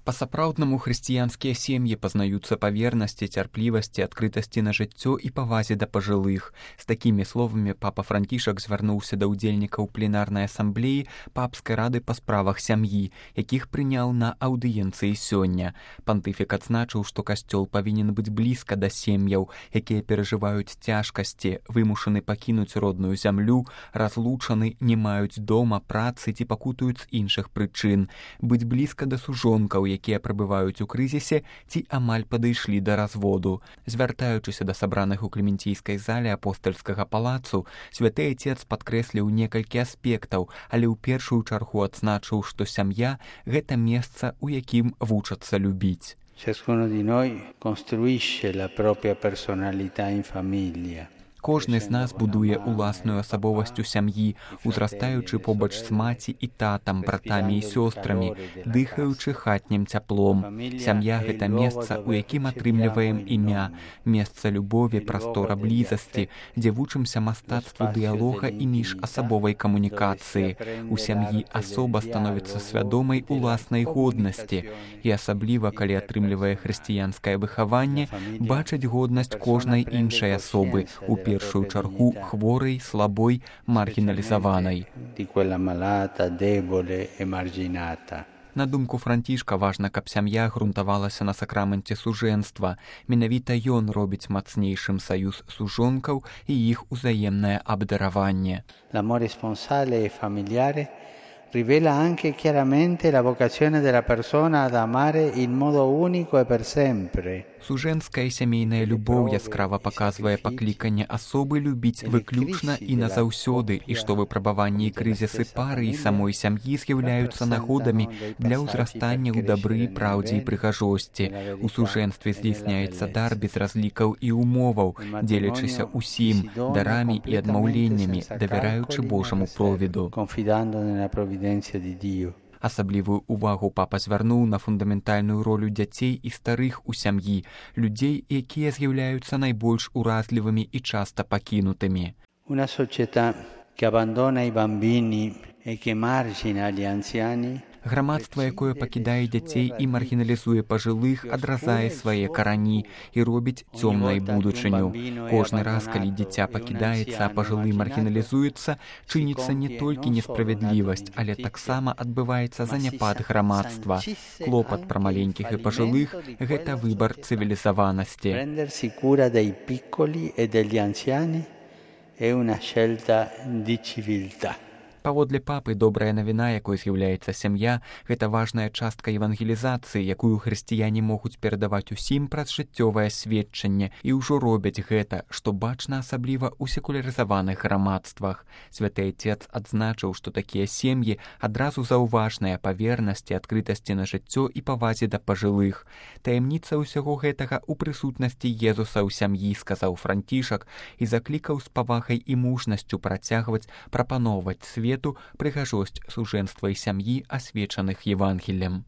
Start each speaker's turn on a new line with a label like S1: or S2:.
S1: Па-сапраўднаму хрысціянскія сем'і пазнаюцца па вернасці, цярплівасці, адкрытасці на жыццё і павазе да пажылых. З такімі словамі папа Францішак звярнуўся да ўдзельнікаў пленарнай асамблеі папскай рады па справах сям'і, якіх прыняў на аўдыенцыі сёння. Пантыфік адзначыў, што касцёл павінен быць блізка да сем'яў, якія перажываюць цяжкасці, вымушаны пакінуць родную зямлю, разлучаны, не маюць дома, працы ці пакутаюць з іншых прычын. Быць блізка да сужонкаў, якія прабываюць у крызісе ці амаль падышлі да разводу. Звяртаючыся да сабраных у клементійскай зале апостальскага палацу, святы Отец падкрэсліў некалькі аспектаў, але ў першую чаргу адзначыў, што сям'я – гэта месца, у якім вучацца любіць.
S2: Ciascuno di noi costruisce la propria personalità in famiglia.
S1: Кожны з нас будуе уласную асабовасць у сям'і, узрастаючы побач з маці і татам, братамі і сёстрамі, дыхаючы хатнім цяплом. Сям'я – гэта месца, у якім атрымліваем імя, месца любові, прастора блізасці, дзе вучымся мастацтву дыялога і міжасабовай камунікацыі. У сям'і асоба становіцца свядомай уласнай годнасці і асабліва, калі атрымлівае хрысціянскае выхаванне, бачыць годнасць кожнай іншай асобы, у першую чаргу хворай, слабой, маргіналізаванай. На думку Францішка, важна, каб сям'я грунтавалася на сакраменце сужэнства. Менавіта ён робіць мацнейшым саюз сужонкаў і іх узаемнае абдараванне.
S2: L'amore sponsale e familiare rivela anche chiaramente la vocazione della persona ad amare in modo unico e per sempre.
S1: Сужэнская і сямейная любоў яскрава паказвае пакліканне асобы любіць выключна і назаўсёды, і што выпрабаванні і крызісы пары і самой сям'і з'яўляюцца нагодамі для ўзрастання ў дабры, праўдзе і прыгажосці. У сужэнстве здзейсняецца дар без разлікаў і умоваў, дзелячыся ўсім, дарамі і адмаўленнямі, давяраючы Божаму провіду. Асаблівую увагу папа звярнуў на фундаментальную ролю дзяцей і старых у сям'і, людзей, якія з'яўляюцца найбольш уразлівымі і часта пакінутымі.
S2: Una società che abbandona i bambini e che margina gli anziani.
S1: Грамадства, якое пакідае дзяцей і маргіналізуе пажылых, адразае свае карані і робіць цёмнай будучыню. Кожны раз, калі дзіця пакідаецца, а пажылы маргіналізуецца, чыніцца не толькі несправядлівасць, але таксама адбываецца заняпад грамадства. Клопат пра маленькіх і пажылых – гэта выбар цывілізаванасці.
S2: Prendersi cura dei piccoli e degli anziani è una scelta di civiltà.
S1: Паводле папы, добрая навіна, якой з'яўляецца сям'я, гэта важная частка евангелізацыі, якую хрысціяне могуць перадаваць усім праз жыццёвае сведчанне, і ўжо робяць гэта, што бачна асабліва ў секулярызаваных грамадствах. Святы Отец адзначыў, што такія сем'і адразу заўважныя па вернасці, адкрытасці на жыццё і павазе да пажылых. Таямніца ўсяго гэтага ў прысутнасці Езуса ў сям'і, сказаў Францішак, і заклікаў з павагай і мужнасцю працягваць прапаноўваць свету прыгажосць сужэнства і сям'і, асвечаных Евангеллем.